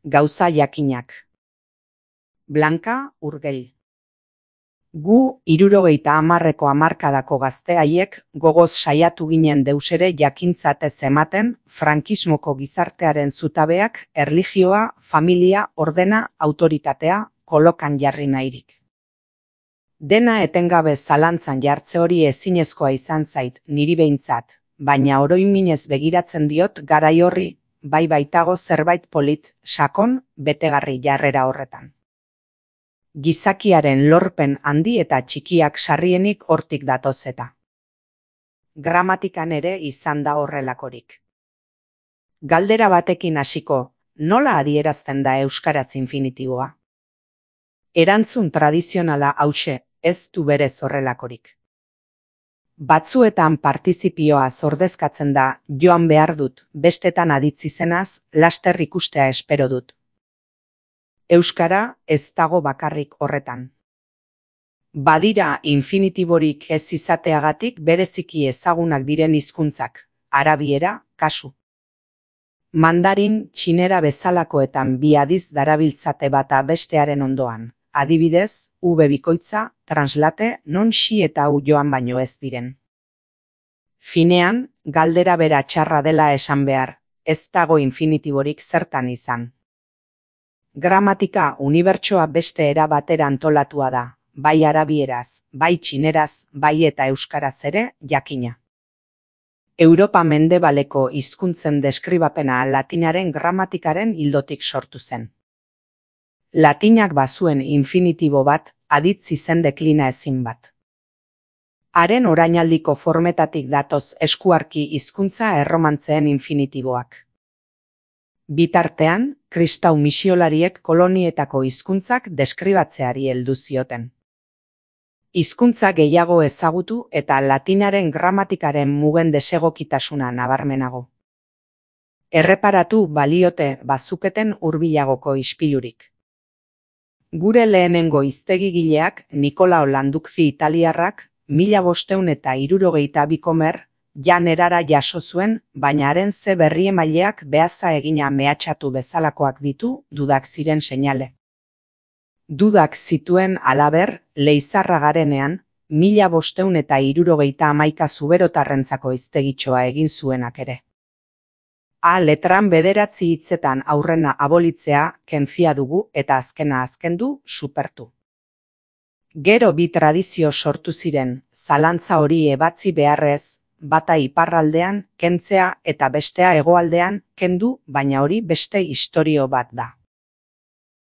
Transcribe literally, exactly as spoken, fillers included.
Gauza jakinak. Blanka Urgell. Gu hirurogeita hamarreko hamarkadako gazte haiek gogoz saiatu ginen deusere jakintzatez ematen frankismoko gizartearen zutabeak erlijioa, familia, ordena, autoritatea kolokan jarri nahirik. Dena etengabe zalantzan jartze hori ezinezkoa izan zait niri behintzat, baina oroiminez begiratzen diot garai horri, bai baitago zerbait polit, sakon, betegarri jarrera horretan. Gizakiaren lorpen handi eta txikiak sarrienik hortik datoz eta. Gramatikan ere izan da horrelakorik. Galdera batekin hasiko, nola adierazten da euskaraz infinitiboa? Erantzun tradizionala hauxe, ez du berez horrelakorik. Batzuetan partizipioa zordezkatzen da, joan behar dut, bestetan aditz izenaz, laster ikustea espero dut. Euskara ez dago bakarrik horretan. Badira infinitiborik ez izateagatik bereziki ezagunak diren hizkuntzak, arabiera, kasu. Mandarin, txinera bezalakoetan bi adiz darabiltzate bata bestearen ondoan, adibidez, ube bikoitza, translate, non xi eta u joan baino ez diren. Finean, galdera bera txarra dela esan behar, ez dago infinitiborik zertan izan. Gramatika unibertsoa beste era batera antolatua da, bai arabieraz, bai txineraz, bai eta euskaraz ere, jakina. Europa mendebaleko hizkuntzen deskribapena latinaren gramatikaren ildotik sortu zen. Latinak bazuen infinitibo bat, aditz izen deklina ezin bat. Haren orainaldiko formetatik datoz eskuarki hizkuntza erromantzeen infinitiboak. Bitartean, kristau misiolariek kolonietako hizkuntzak deskribatzeari heldu zioten. Hizkuntza gehiago ezagutu eta latinaren gramatikaren mugen desegokitasuna nabarmenago. Erreparatu baliote bazuketen hurbilagoko ispilurik. Gure lehenengo hiztegigileak Nikolao Landukzi italiarrak mila bostehun eta hirurogeita bikomer jan erara jaso zuen, baina haren ze berriemaileak behaza egina mehatxatu bezalakoak ditu dudak ziren seinale. Dudak zituen halaber, Leizarra garenean, mila bostehun eta hirurogeita hamaika zuberotarrentzako hiztegitxoa egin zuenak ere. A letran bederatzi hitzetan aurrena abolitzea kentzia dugu eta azkena azkendu supertu. Gero bi tradizio sortu ziren, zalantza hori ebatzi beharrez, bata iparraldean kentzea eta bestea hegoaldean kendu, baina hori beste istorio bat da.